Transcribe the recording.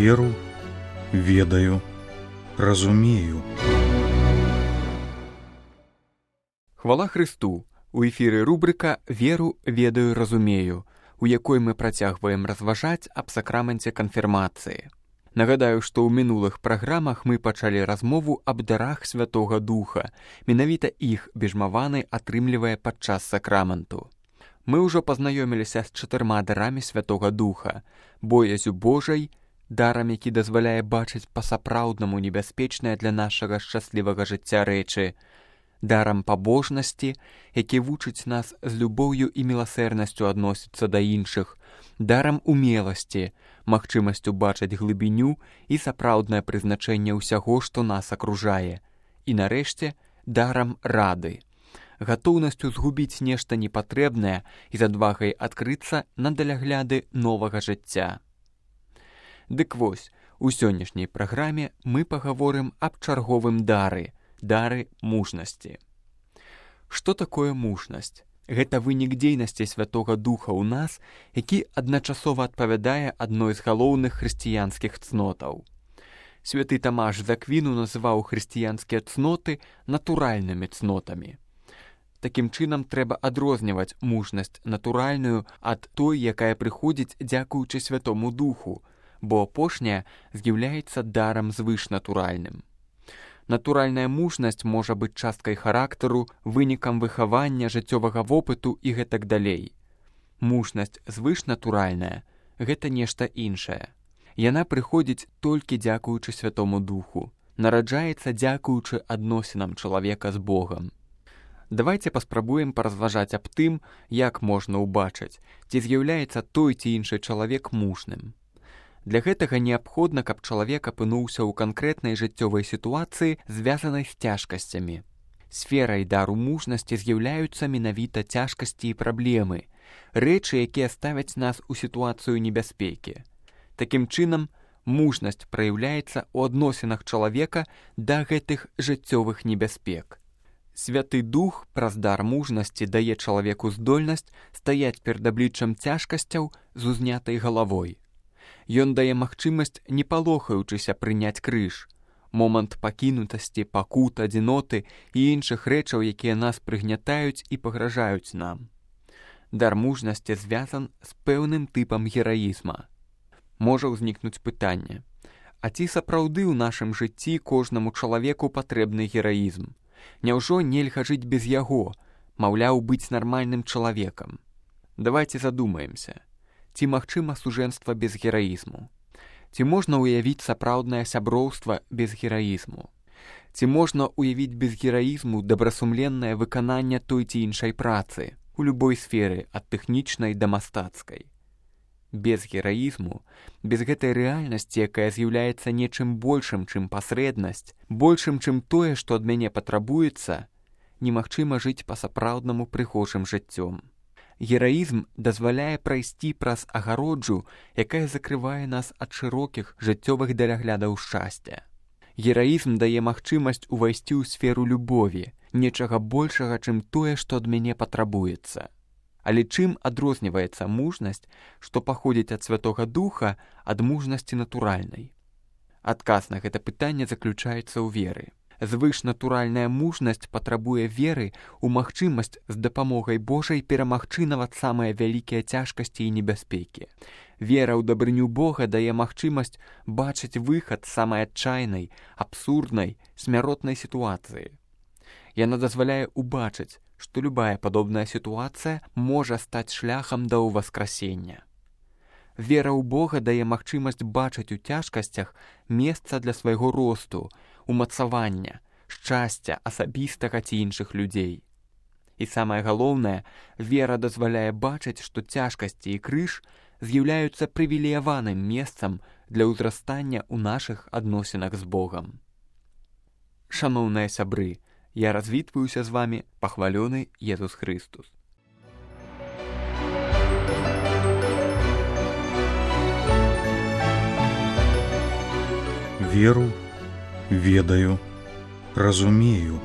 Веру, ведаю, разумею. Хвала Христу! У эфіры рубрыка «Веру, ведаю, разумею», у якой мы працягваем разважаць аб сакраменце канфірмацыі. Нагадаю, што ў мінулых праграмах мы пачалі размову аб дарах Святога Духа. Менавіта іх бежмаваны атрымлівае падчас сакраменту. Мы ўжо пазнаёміліся з 4 дарамі Святога Духа: боязю Божай, дарам, які дазваляе бачыць па-сапраўднаму небяспечнае для нашага шчаслівага жыцця рэчы; дарам пабожнасці, які вучыць нас з любоўю і міласэрнасцю адносіцца да іншых; дарам умеласці, магчымасцю бачыць глыбіню і сапраўднае прызначэнне ўсяго, што нас акружае; і нарэшце дарам рады, гатоўнасцю згубіць нешта непатрэбнае і з адвагай адкрыцца на далягляды новага жыцця. Дык вось, у сённяшняй праграме мы пагаворым аб чарговым дары мужнасці. Што такое мужнасць? Гэта вынік дзейнасці Святога Духа ў нас, які адначасова адпавядае адной з галоўных хрысціянскіх цнотаў. Святы Тамаш з Аквіну называў хрысціянскія цноты натуральнымі цнотамі. Такім чынам трэба адрозніваць мужнасць натуральную ад той, якая прыходзіць дзякуючы Святому Духу, бо апошняя з'яўляецца дарам звышнатуральным. Натуральная мужнасць можа быць часткай характару, вынікам выхавання, жыццёвага вопыту і гэтак далей. Мужнасць звышнатуральная – гэта нешта іншае. Яна прыходзіць толькі дзякуючы Святому Духу, нараджаецца дзякуючы адносінам чалавека з Богам. Давайце паспрабуем паразважаць аб тым, як можна ўбачыць, ці з'яўляецца той ці іншы чалавек мужным. Для гэтага неабходна, каб чалавек апынуўся ў канкрэтнай жыццёвай сітуацыі, звязанай з цяжкасцямі. Сферай дару мужнасці з'яўляюцца менавіта цяжкасці і праблемы, рэчы, якія ставяць нас у сітуацыю небяспекі. Такім чынам, мужнасць праяўляецца ў адносінах чалавека да гэтых жыццёвых небяспек. Святы Дух праз дар мужнасці дае чалавеку здольнасць стаяць перад абліччам цяжкасцяў з узнятай галавой. Ён дае магчымасць, не палохаючыся, прыняць крыж, момант пакінутасці, пакут, адзіноты і іншых рэчаў, якія нас прыгнятаюць і пагражаюць нам. Дар мужнасці звязан з пэўным тыпам гераізма. Можа ўзнікнуць пытанне: а ці сапраўды ў нашым жыцці кожнаму чалавеку патрэбны гераізм? Няўжо нельга жыць без яго, маўляў, быць нармальным чалавекам? Давайце задумаемся. Ці магчыма сужэнства без гераізму? Ці можна ўявіць сапраўднае сяброўства без гераізму? Ці можна ўявіць без гераізму добрасумленнае выкананне той ці іншай працы у любой сферы, ад тэхнічнай да мастацкай? Без гераізму, без гэтай рэальнасці, якая з'яўляецца нечым большым, чым пасрэднасць, большым, чым тое, што ад мяне патрабуецца, немагчыма жыць па-сапраўднаму прыгожым жыццём. Гераізм дазваляе прайсці праз агароджу, якая закрывае нас ад шырокіх жыццёвых даляглядаў шчасця. Гераізм дае магчымасць увайсці ў сферу любові, нечага большага, чым тое, што ад мяне патрабуецца. Але чым адрозніваецца мужнасць, што паходзіць ад Святога Духа, ад мужнасці натуральнай? Адказ на гэта пытанне заключаецца ў веры. Звышнатуральная мужнасць патрабуе веры ў магчымасць з дапамогай Божай перамагчы нават самыя вялікія цяжкасці і небяспекі. Вера ў дабрыню Бога дае магчымасць бачыць выхад з самай адчайнай, абсурднай, смяротнай сітуацыі. Яна дазваляе ўбачыць, што любая падобная сітуацыя можа стаць шляхам да ўваскрасення. Вера ў Бога дае магчымасць бачыць у цяжкасцях месца для свайго росту, умацавання, шчасця асабістага ці іншых людзей. І самае галоўнае, вера дазваляе бачыць, што цяжкасці і крыж з'яўляюцца прывілеяваным месцам для ўзрастання ў нашых адносінах з Богам. Шаноўныя сябры, я развітваюся з вамі, пахвалёны Езус Христус. Веру, ведаю, разумею.